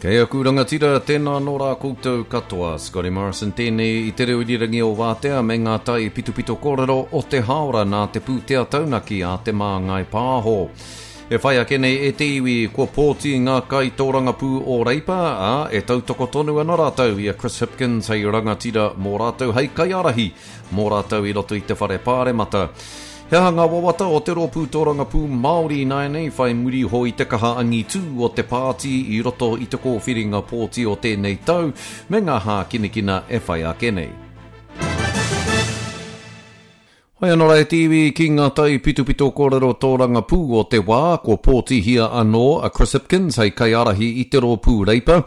Kei aku rangatira, tēnā anō rā koutou katoa. Scotty Morrison tēnei i te reo irirangi o Wātea me ngā tai pitopito kōrero o te hāora nā te pūtea taunaki a Te Māngai Pāho. E whai ake nei e te iwi, kua pōti ngā kaitōrangapū o Reipa, ā, e tautoko tonu ana rātou i a Chris Hipkins hei rangatira mō rātou, hei kaiārahi mō rātou i roto i te whare pāremata. He aha ngā wawata o te Rōpū Tōrangapū Māori ināianei whai muri iho i te kaha angitū o te pāti i roto i te kōwhiringa pōti o tēnei tau me ngā hākinakina e whai ake nei? Hoi anō rā e te iwi ki ngā taipitopito kōrero tōrangapū o te wā, kua pōtihia anō a Chris Hipkins hei kaiārahi i te Rōpū Reipa.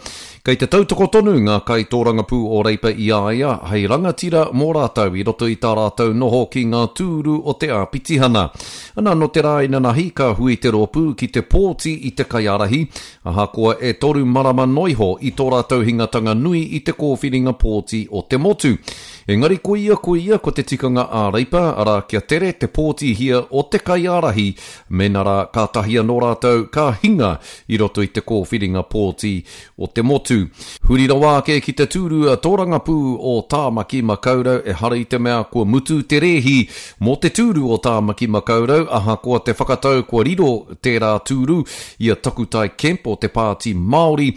Kei te tautoko tonu ngā kaitōrangapū o Reipa i a ia hei rangatira mō rātou i roto i tā rātou noho ki ngā tūru o te āpitihana. Ana nō te rā inanahi ka hui te rōpū ki te pōti i te kaiārahi, ahakoa e toru marama noiho i tō rātou hingatanga nui i te kōwhiringa pōti o te motu. Engari koia koia ko te tikanga ā Reipa, arā kia tere te pōtihia o te kaiārahi mēnā rā kātahi anō rātou ka hinga i roto i te kōwhiringa pōti o te motu. Huri rawa ake ki te tūru tōrangapū o Tāmaki Makaurau, ehara i te mea kua mutu te rēhi mō te tūru o Tāmaki Makaurau, ahakoa te whakatau kua riro tērā tūru i a Takutai Kemp o te Pāti Māori.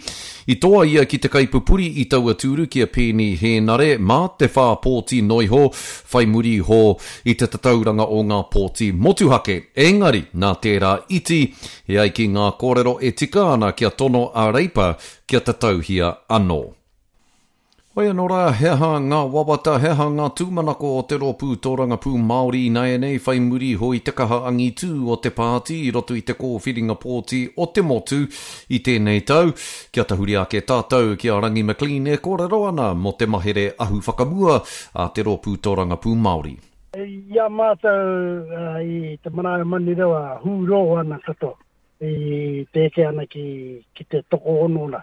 I toa ia ki te kaipupuri i taua tūru ki a Peeni Hēnare mā te whā pōti noiho whai muri iho i te tatauranga o ngā pōti motuhake. Engari, nā tērā iti, E ai ki ngā kōrero e tika ana kia tono a Reipa kia tatauhia anō. Hoi anō rā, he aha ngā wawata, he aha ngā tūmanako o te Rōpū Tōrangapū Māori ināianei whai muri iho i te kaha angitū o te pāti i roto i te kōwhiringa pōti o te motu i tēnei tau? Kia tahuri ake tātou ki a Rangi McLean e kōrero ana mō te mahere ahu whakamua a te Rōpū Tōrangapū Māori. I a mātou i te marae o Manurewa hūrō ana katoa i te eke ana ki, ki te tokoono rā.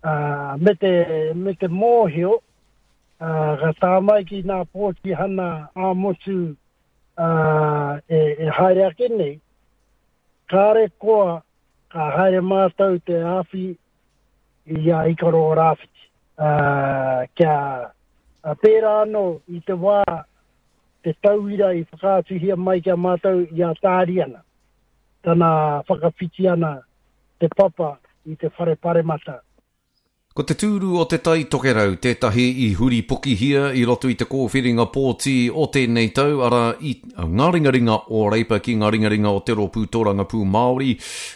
Uh, me, te, me te mōhio, uh, ka tā mai ki nā pōtihana ā-motu uh, e, e haere ake nei, kāre koa ka haere mātou te āwhi i a Ikaroa Rāwhiti. Ā, kia pērā anō i te wā te tauira i whakaatuhia mai ki a mātou i a Tāriana, tana whakawhiti ana te papa i te whare paremata. Ko te tūru o Te Tai Tokerau tētahi i huripokihia i roto i te kōwhiringa pōti o tēnei tau, arā, i ngā ringaringa o Reipa ki ngā ringaringa o te Rōpū Tōrangapū Māori.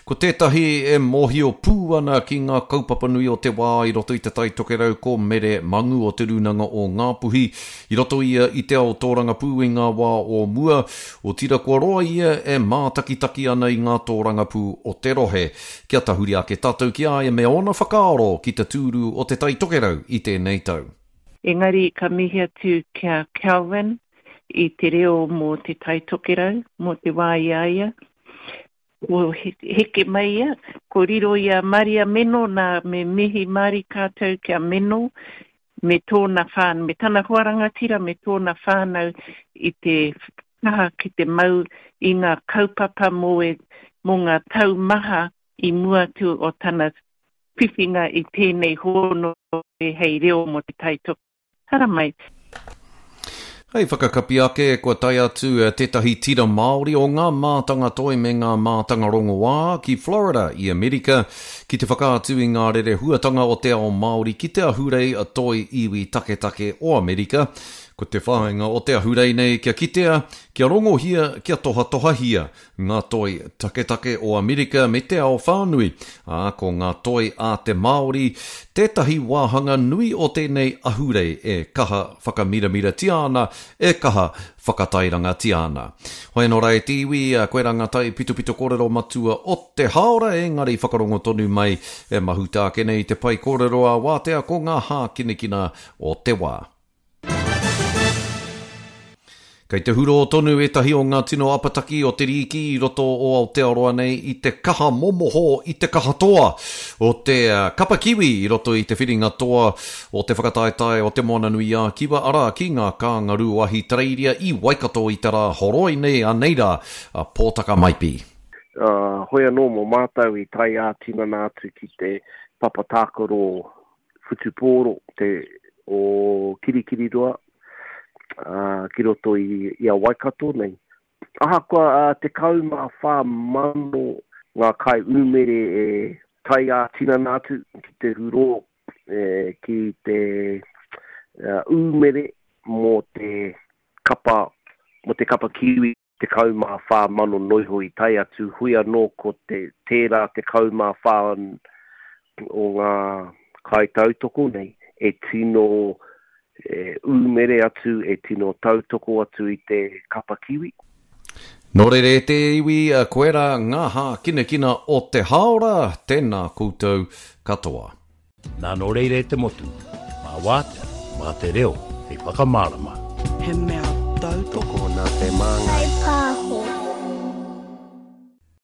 Ko tētahi e mōhio pū ana ki ngā kaupapa nui o te wā i roto i Te Tai Tokerau ko Mere Mangu o Te Rūnanga o Ngāpuhi. I roto ia i te ao tōrangapū i ngā wā o mua, otira kua roa ia e mātakitaki ana i ngā tōrangapū o te rohe. Kia tahuri ake tātou ki a ia me ōna whakaaro ki te tūru o Te Tai Tokerau i tēnei tau. Engari ka mihi atu ki a Kelvin i te reo mō Te Tai Tokerau, mō te wā i a ia. Ko heke mai ia, ko riro i a Maria Meno nā me mihi mārika atu ki a Meno me tōna whānau, me tana hoa rangatira me tōna whānau i te kaha ki te mau i ngā kaupapa mō e, mō ngā tau maha i mua atu o tana whiwhinga i tēnei hōnore hei reo mō Te Tai Tokerau. Haramai. Hei whakakapi ake, kua tae atu tētahi tira Māori o ngā mātanga toi me ngā mātanga rongoā ki Florida i Amerika ki te whakaatu i ngā rerehuatanga o te ao Māori ki te ahurei toi iwi taketake o Amerika. Ko te whāinga o te ahurei nei kia kitea, kia rongohia, kia tohatohahia ngā toi taketake o Amerika me te ao whānui, ā, ko ngā toi a te Māori tētahi wāhanga nui o tēnei ahurei e kaha whakamiramiratia ana, e kaha whakatairangatia ana. Hoi anō rā e te iwi, koirā ngā taipitopito kōrero matua o te hāora, engari whakarongo tonu mai e mahuta ake nei te pae kōrero a Wātea ko ngā hākinakina o te wā. Kei te hurō tonu ētahi o ngā tino apataki o te rīki i roto o Aotearoa nei i te kaha momoho i te kaha toa o te kapa kiwi i roto i te whiringa toa o te whakataetae o Te Moana-nui-ā-Kiwa, arā, ki ngā kāngarū o Ahitereiria i Waikato i te rā horoi nei, anei rā a Pōtaka Maipi. Ā, hoi anō mō mātou i tae ā-tinana atu ki te. papa tākaro whutupōro te o Kirikiriroa ā, ki roto i, i a Waikato nei. Ahakoa 14,000 ngā kaiūmere e tae ā-tinana atu ki te hurō, ki te ūmere mō te kapa, mō te kapa Kiwi, 14,000 noiho i tae atu, hui anō ko te, tērā 14 o ngā kaitautoko nei e tino ūmere atu, e tino tautoko atu i te kapa Kiwi. Nō reira e te iwi, koirā ngā hākinakina o te hāora, tēnā koutou katoa. Nā nō reira e te motu, mā Wātea, mā te reo hei whakamārama. He mea tautoko. Tokona te māngai.